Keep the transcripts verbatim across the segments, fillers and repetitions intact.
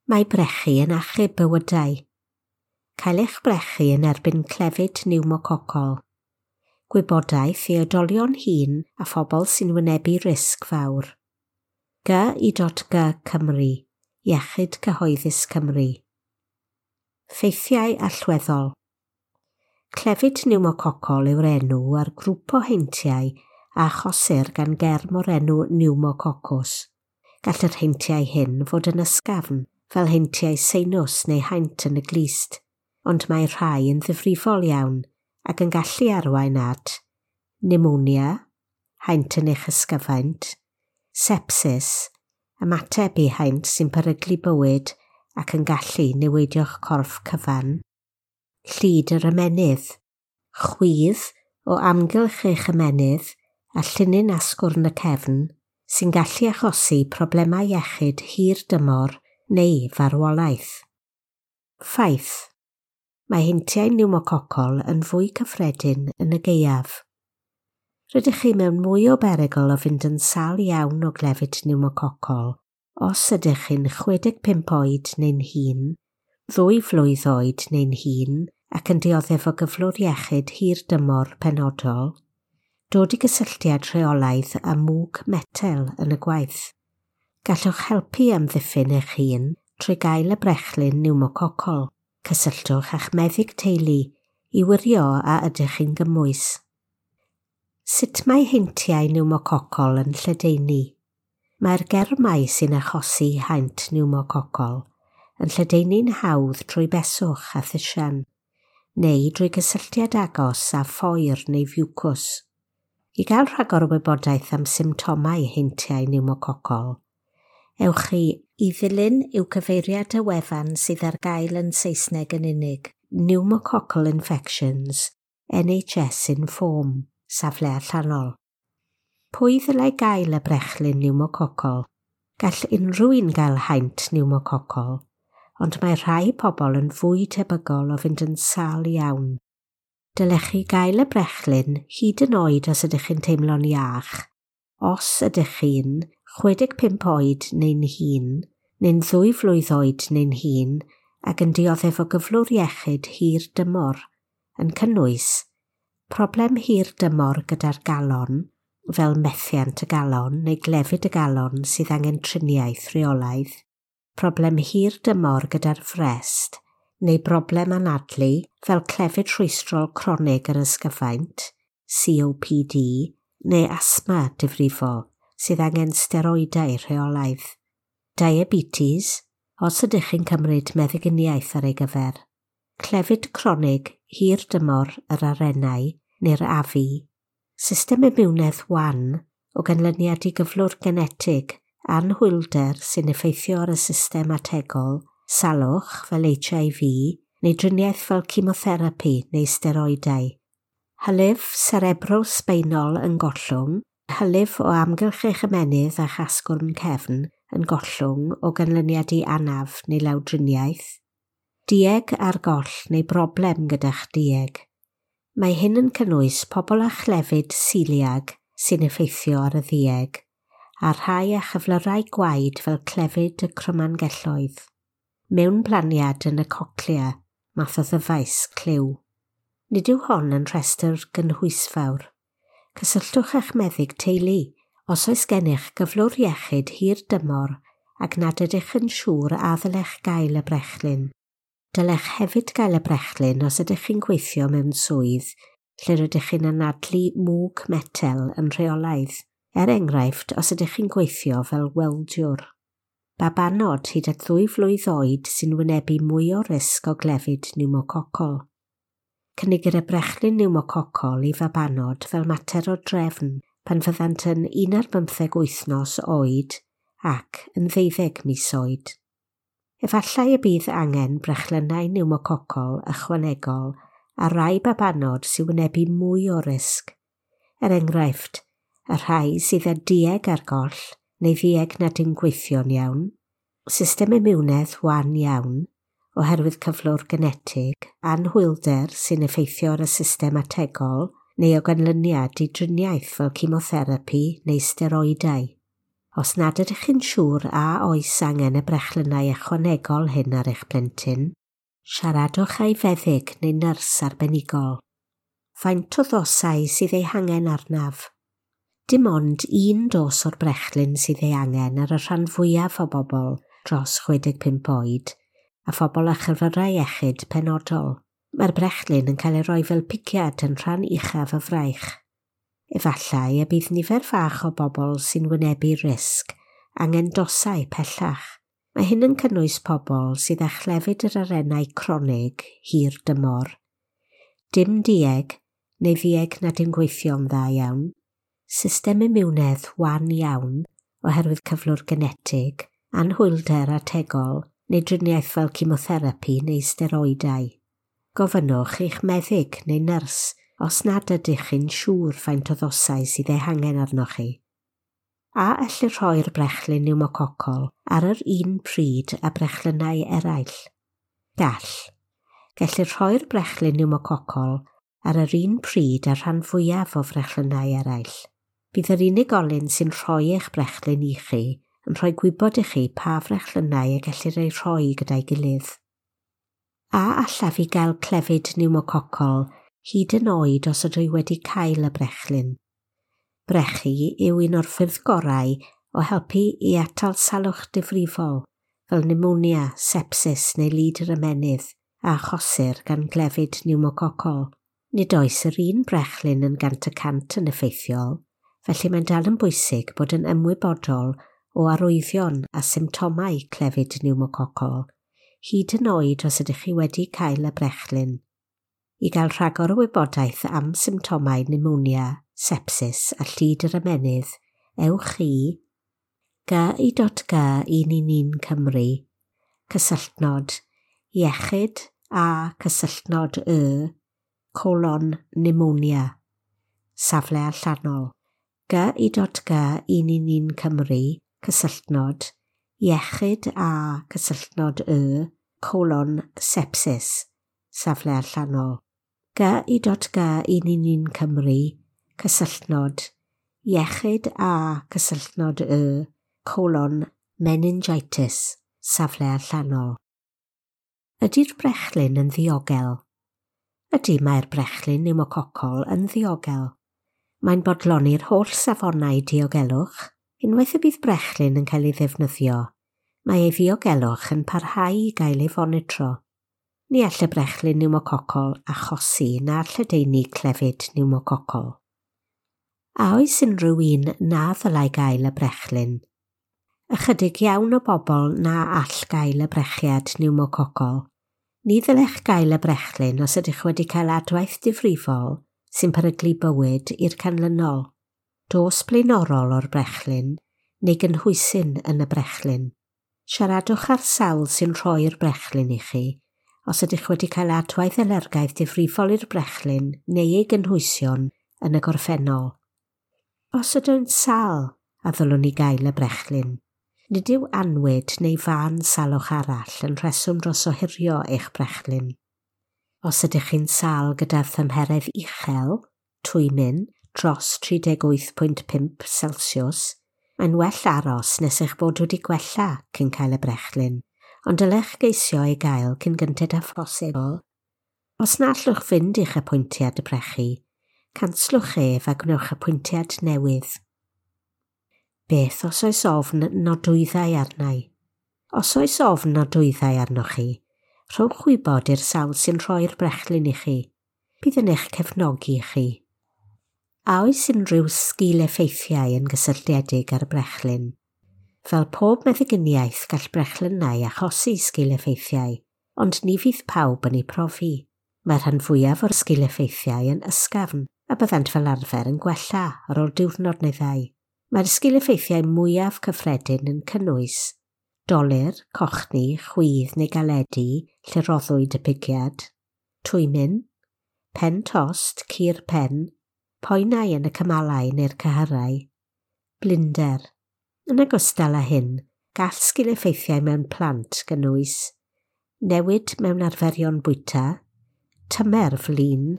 Mae brechu yn achub bywydau. Cael eich brechu yn erbyn clefyd niwmococol. Gwybodaeth i oedolion hŷn a phobl sy'n wynebu risg fawr. G I dot G Cymru, Iechyd Cyhoeddus Cymru. Ffeithiau allweddol. Clefyd niwmococol yw'r enw ar grŵp o heintiau a achosir gan germ o'r enw pneumococcus. Gall yr heintiau hyn fod yn ysgafn, fel heintiau seinws neu haint yn y glust, ond mae rhai yn ddifrifol iawn ac yn gallu arwain at pneumonia, haint yn eich ysgyfaint, sepsis, ymateb i haint sy'n peryglu bywyd ac yn gallu niweidio'ch corff cyfan, llid yr ymennydd, chwydd o amgylch eich ymennydd a llinyn asgwrn y cefn sy'n gallu achosi problemau iechyd hir dymor neu farwolaeth. Ffaith. Mae heintiau niwmococol yn fwy cyffredin yn y gaeaf. Rydych chi mewn mwy o berygl o fynd yn sâl iawn o glefyd niwmococol os ydych chi'n chwe deg pump oed neu'n hŷn, ddwy flwydd oed neu'n hŷn ac yn dioddef o gyflwr iechyd hir dymor penodol, dod i gysylltiad rheolaidd â mwg metel yn y gwaith. Gallwch helpu amddiffyn eich hun trwy gael y brechlyn niwmococol. Cysylltwch â'ch meddyg teulu i wirio a ydych chi'n gymwys. Sut mae heintiau niwmococol yn lledaenu? Mae'r germau sy'n achosi haint niwmococol yn lledaenu'n hawdd trwy beswch a thisian, neu drwy gysylltiad agos â phoer neu fiwcws. I gael rhagor o wybodaeth am symptomau heintiau niwmococol, ewch chi i ddilyn yw cyfeiriad y wefan sydd ar gael yn Saesneg yn unig, Pneumococcal Infections, N H S Inform, safle allanol. Pwy ddylai gael y brechlyn niwmococol? Gall unrhyw un gael haint niwmococol, ond mae rhai pobl yn fwy tebygol o fynd yn sâl iawn. Dylech chi gael y brechlyn hyd yn oed os ydych chi'n teimlo'n iach, os ydych chi'n chwe deg pump oed neu'n hŷn, neu'n ddwy flwydd oed neu'n hŷn ac yn dioddef o gyflwr iechyd hir dymor, yn cynnwys problem hir dymor gyda'r galon, fel methiant y galon neu glefyd y galon sydd angen triniaeth rheolaidd, problem hir dymor gyda'r frest, neu broblem anadlu fel clefyd rhwystrol cronig yr ysgyfaint, C O P D, neu asma difrifol sydd angen steroidau rheolaidd. Diabetes, os ydych chi'n cymryd meddyginiaeth ar ei gyfer. Clefyd cronig hir dymor yr arennau neu'r afu. System imiwnedd wan o ganlyniad i gyflwr genetig, anhwylder sy'n effeithio ar y system ategol, salwch fel H I V neu driniaeth fel chemotherapi neu steroidau. Hylif cerebrospinal yn gollwng, hylif o amgylch eich ymennydd a'ch asgwrn cefn yn gollwng o ganlyniad i anaf neu lawdriniaeth. Dueg ar goll neu broblem gyda'ch dueg. Mae hyn yn cynnwys pobl â chlefyd celiag sy'n effeithio ar y ddueg, a rhai â chyflyrau gwaed fel clefyd y crymangelloedd. Mewnblaniad yn y cochlea, math o ddyfais clyw. Nid yw hon yn rhestr gynhwysfawr. Cysylltwch â'ch meddyg teulu os oes gennych gyflwr iechyd hir dymor ac nad ydych yn siŵr a ddylech gael y brechlyn. Dylech hefyd gael y brechlyn os ydych chi'n gweithio mewn swydd lle rydych chi'n anadlu mwg metel yn rheolaidd, er enghraifft os ydych chi'n gweithio fel weldiwr. Babanod hyd at ddwy flwydd oed sy'n wynebu mwy o risg o glefyd niwmococol. Cynigir y brechlyn niwmococol i fabanod fel mater o drefn pan fyddant yn un ar bymtheg wythnos oed ac yn ddeuddeg mis oed. Efallai y bydd angen brechlynnau niwmococol ychwanegol ar rai babanod sy'n wynebu mwy o risg. Er enghraifft, y rhai sydd â dueg ar goll neu ddueg nad yw'n gweithio'n iawn, system imiwnedd wan iawn oherwydd cyflwr genetig, anhwylder sy'n effeithio ar y system ategol neu o ganlyniad i driniaeth fel chemotherapi neu steroidau. Os nad ydych chi'n siŵr a oes angen y brechlynnau ychwanegol hyn ar eich plentyn, siaradwch â'i feddyg neu nyrs arbenigol. Faint o ddosau sydd eu hangen arnaf? Dim ond un dos o'r brechlyn sydd ei angen ar y rhan fwyaf o bobl dros chwe deg pump oed a phobl â chyflyrau iechyd penodol. Mae'r brechlyn yn cael ei roi fel pigiad yn rhan uchaf y fraich. Efallai y bydd nifer fach o bobl sy'n wynebu risg angen dosau pellach. Mae hyn yn cynnwys pobl sydd â chlefyd yr arennau cronig hir dymor, dim dueg neu ddueg nad yw'n gweithio'n dda iawn, system imiwnedd wan iawn oherwydd cyflwr genetig, anhwylder ategol neu driniaeth fel chemotherapi neu steroidau. Gofynnwch i'ch meddyg neu nyrs os nad ydych chi'n siŵr faint o ddosau sydd eu hangen arnoch chi. A ellir rhoi'r brechlyn pneumococol ar yr un pryd â brechlynnau eraill? Gall. Gellir rhoi'r brechlyn pneumococol ar yr un pryd â'r rhan fwyaf o frechlynnau eraill. Bydd yr unigolyn sy'n rhoi eich brechlyn i chi yn rhoi gwybod i chi pa frechlynnau y gellir eu rhoi gyda'i gilydd. A allaf i gael clefyd pneumococol hyd yn oed os ydw i wedi cael y brechlyn? Brechu yw un o'r ffyrdd gorau o helpu i atal salwch difrifol, fel pneumonia, sepsis neu lid yr ymennydd a achosir gan glefyd pneumococol. Nid oes yr un brechlyn yn gant y cant yn effeithiol, felly mae'n dal yn bwysig bod yn ymwybodol o arwyddion a symptomau clefyd pneumococol, hyd yn oed os ydych chi wedi cael y brechlyn. I gael rhagor o wybodaeth am symptomau pneumonia, sepsis a llid yr ymennydd, ewch i g i dot g un un un Cymru, cysylltnod, iechyd a cysylltnod y, colon pneumonia, safle allanol, g i dot g un un un Cymru, cysylltnod, iechyd a cysylltnod y, colon sepsis, safle allanol, g i dot g un un un Cymru, cysylltnod, iechyd a cysylltnod y, colon meningitis, safle allanol. Ydy'r brechlyn yn ddiogel? Ydy, mae'r brechlyn pneumococol yn ddiogel. Mae'n bodloni'r holl safonau diogelwch. Unwaith y bydd brechlyn yn cael ei ddefnyddio, mae ei ddiogelwch yn parhau i gael ei fonitro. Ni all y brechlyn pneumococol achosi na lledaenu clefyd pneumococol. A oes unrhyw un na ddylai gael y brechlyn? Ychydig iawn o bobl na all gael y brechiad pneumococol. Ni ddylech gael y brechlyn os ydych wedi cael adwaith difrifol sy'n peryglu bywyd i'r canlynol, dos blaenorol o'r brechlyn neu gynhwysyn yn y brechlyn. Siaradwch â'r sawl sy'n rhoi'r brechlyn i chi os ydych wedi cael adwaith alergaidd difrifol i'r brechlyn neu ei gynhwysion yn y gorffennol. Os ydyw'n sâl, a ddylwn i gael y brechlyn. Nid yw anwyd neu fân salwch arall yn rheswm dros ohirio eich brechlyn. Os ydych chi'n sâl gyda thymheredd uchel, twymyn, dros tri deg wyth pwynt pump Celsius, mae'n well aros nes eich bod wedi gwella cyn cael y brechlyn, ond dylech geisio ei gael cyn gynted â phosibl. Os na allwch fynd i'ch apwyntiad y brechu, canslwch ef a gwnewch apwyntiad newydd. Beth os oes ofn nodwyddau arnau? Os oes ofn nodwyddau arnoch chi, rhowch wybod i'r sawl sy'n rhoi'r brechlyn i chi. Bydd yn eich cefnogi chi. A oes unrhyw sgil-effeithiau yn gysylltiedig â'r brechlyn? Fel pob meddyginiaeth gall brechlynnau achosi sgil-effeithiau, ond ni fydd pawb yn eu profi. Mae'r rhan fwyaf o'r sgil-effeithiau yn ysgafn a byddant fel arfer yn gwella ar ôl diwrnod neu ddau. Mae'r sgil-effeithiau mwyaf cyffredin yn cynnwys dolur, cochni, chwydd neu galedu lle roddwyd y pigiad, twymyn, pen tost, cur pen, poenau yn y cymalau neu'r cyhyrau, blinder. Yn ogystal â hyn, gall sgil-effeithiau mewn plant gynnwys newid mewn arferion bwyta, tymer flin,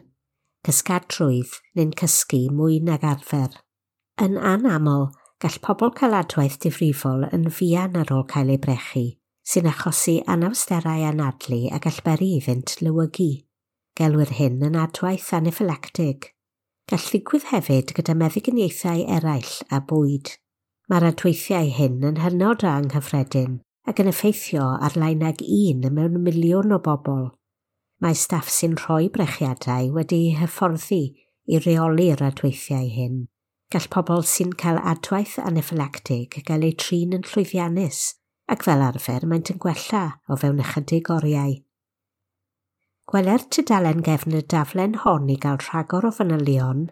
cysgadrwydd neu'n cysgu mwy nag arfer. Yn anaml, Gall pobl cael adwaith difrifol yn fuan ar ôl cael eu brechu, sy'n achosi anawsterau anadlu a gall beri iddynt lewygu. Gelwir hyn yn adwaith anaffylactig. Gall ddigwydd hefyd gyda meddyginiaethau eraill a bwyd. Mae'r adweithiau hyn yn hynod o anghyffredin ac yn effeithio ar lai nag un mewn miliwn o bobl. Mae staff sy'n rhoi brechiadau wedi'u hyfforddi i reoli'r adweithiau hyn. Gall pobl sy'n cael adwaith anaffylactig gael eu trin yn llwyddiannus ac fel arfer maent yn gwella o fewn ychydig oriau. Gweler tudalen gefn y daflen hon i gael rhagor o fanylion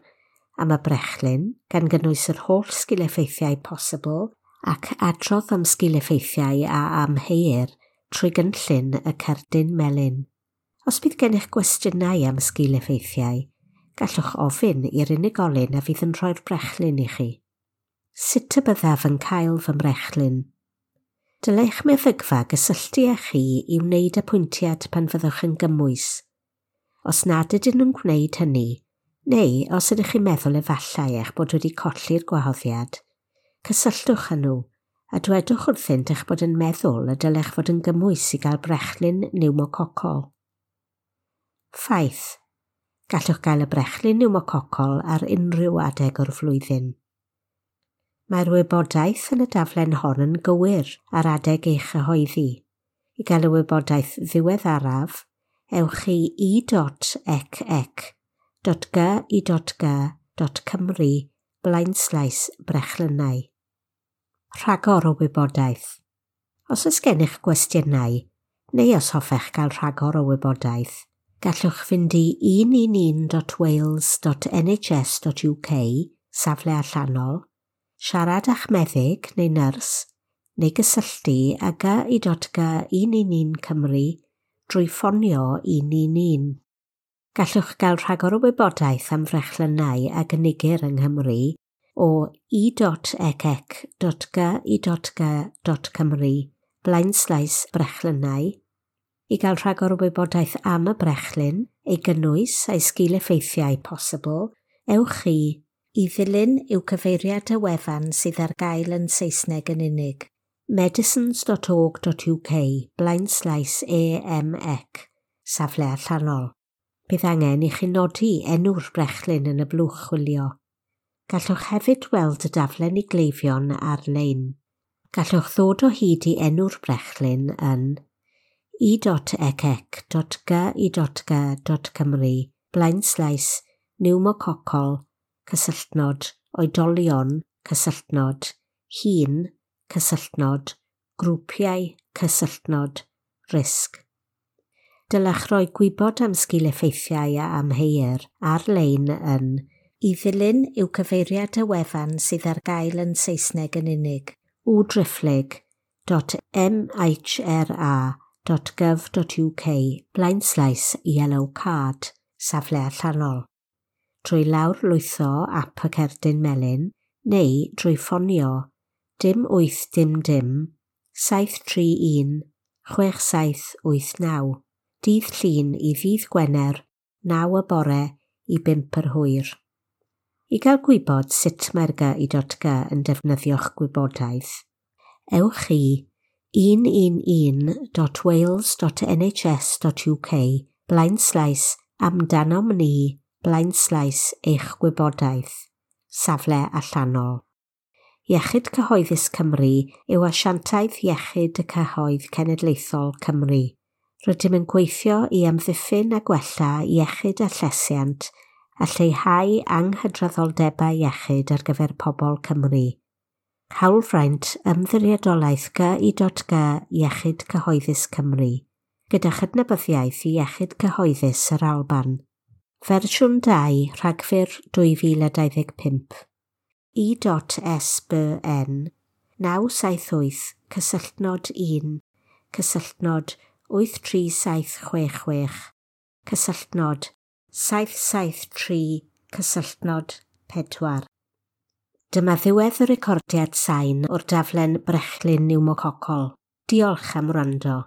am y brechlyn, gan gynnwys yr holl sgil-effeithiau posibl ac adrodd am sgil-effeithiau a amheuir trwy gynllun y cerdyn melyn. Os bydd gennych gwestiynau am sgil-effeithiau, gallwch ofyn i'r unigolyn a fydd yn rhoi'r brechlyn i chi. Sut y byddaf yn cael fy mrechlyn? Dylai'ch meddygfa gysylltu â chi i wneud apwyntiad pan fyddwch yn gymwys. Os nad ydyn nhw'n gwneud hynny, neu os ydych chi'n meddwl efallai eich bod wedi colli'r gwahoddiad, cysylltwch â nhw a dwedwch wrthynt eich bod yn meddwl y dylech fod yn gymwys i gael brechlyn niwmococol. Ffaith. Gallwch gael y brechlyn niwmococol ar unrhyw adeg o'r flwyddyn. Mae'r wybodaeth yn y daflen hon yn gywir ar adeg ei chyhoeddi. I gael y wybodaeth ddiweddaraf, ewch i e dot ec ec dot g i dot g dot cymru blaenslaes brechlynnau. Rhagor o wybodaeth. Os oes gennych gwestiynau, neu os hoffech gael rhagor o wybodaeth, gallwch fynd i un un un dot wales dot N H S dot U K, safle allanol, siarad â'ch meddyg neu nyrs, neu gysylltu â G I dot G un un un Cymru drwy ffonio un un un. Gallwch gael rhagor o wybodaeth am frechlynnau a gynigir yng Nghymru o e dot ec ec dot g i dot g dot cymru blaenslaes brechlynnau. I gael rhagor o wybodaeth am y brechlyn, ei gynnwys a'i sgil-effeithiau posibl, ewch i i ddilyn yw cyfeiriad y wefan sydd ar gael yn Saesneg yn unig. medicines dot org dot U K blaenslaes A M E C, safle allanol. Bydd angen i chi nodi enw'r brechlyn yn y blwch chwilio. Gallwch hefyd weld y daflen i gleifion ar-lein. Gallwch ddod o hyd i enw'r brechlyn yn e dot ec ec dot g i dot g dot cymru blaenslaes niwmococol cysylltnod oedolion cysylltnod hŷn cysylltnod grwpiau cysylltnod risg. Dylech roi gwybod am sgil-effeithiau a amheuir ar-lein yn i ddilyn yw cyfeiriad y wefan sydd ar gael yn Saesneg yn unig w driphlyg dot M H R A dot gov dot U K blaenslaes yellow card, safle allanol, trwy lawr lwytho ap y cerdyn melyn neu drwy ffonio dim wyth dim dim saith tri un chwech saith wyth naw dydd Llun i ddydd Gwener naw y bore i bump yr hwyr. I gael gwybod sut mae'r G I dot G yn defnyddio'ch gwybodaeth, ewch i un un un dot wales dot N H S dot U K blaenslaes amdanom ni blaenslaes eich gwybodaeth, safle allanol. Iechyd Cyhoeddus Cymru yw asiantaeth iechyd y cyhoedd cenedlaethol Cymru. Rydym yn gweithio i amddiffyn a gwella iechyd a llesiant a lleihau anghydraddoldebau iechyd ar gyfer pobl Cymru. Hawlfraint Ymddiriedolaeth G I dot G Iechyd Cyhoeddus Cymru, gyda chydnabyddiaeth i Iechyd Cyhoeddus yr Alban. Fersiwn dau, Rhagfyr dwy fil a dau ddeg pump. I S B N naw saith wyth cysylltnod un cysylltnod wyth tri saith chwech chwech cysylltnod saith saith tri cysylltnod pedwar. Dyma ddiwedd y recordiad sain o'r daflen brechlyn niwmococol. Diolch am wrando.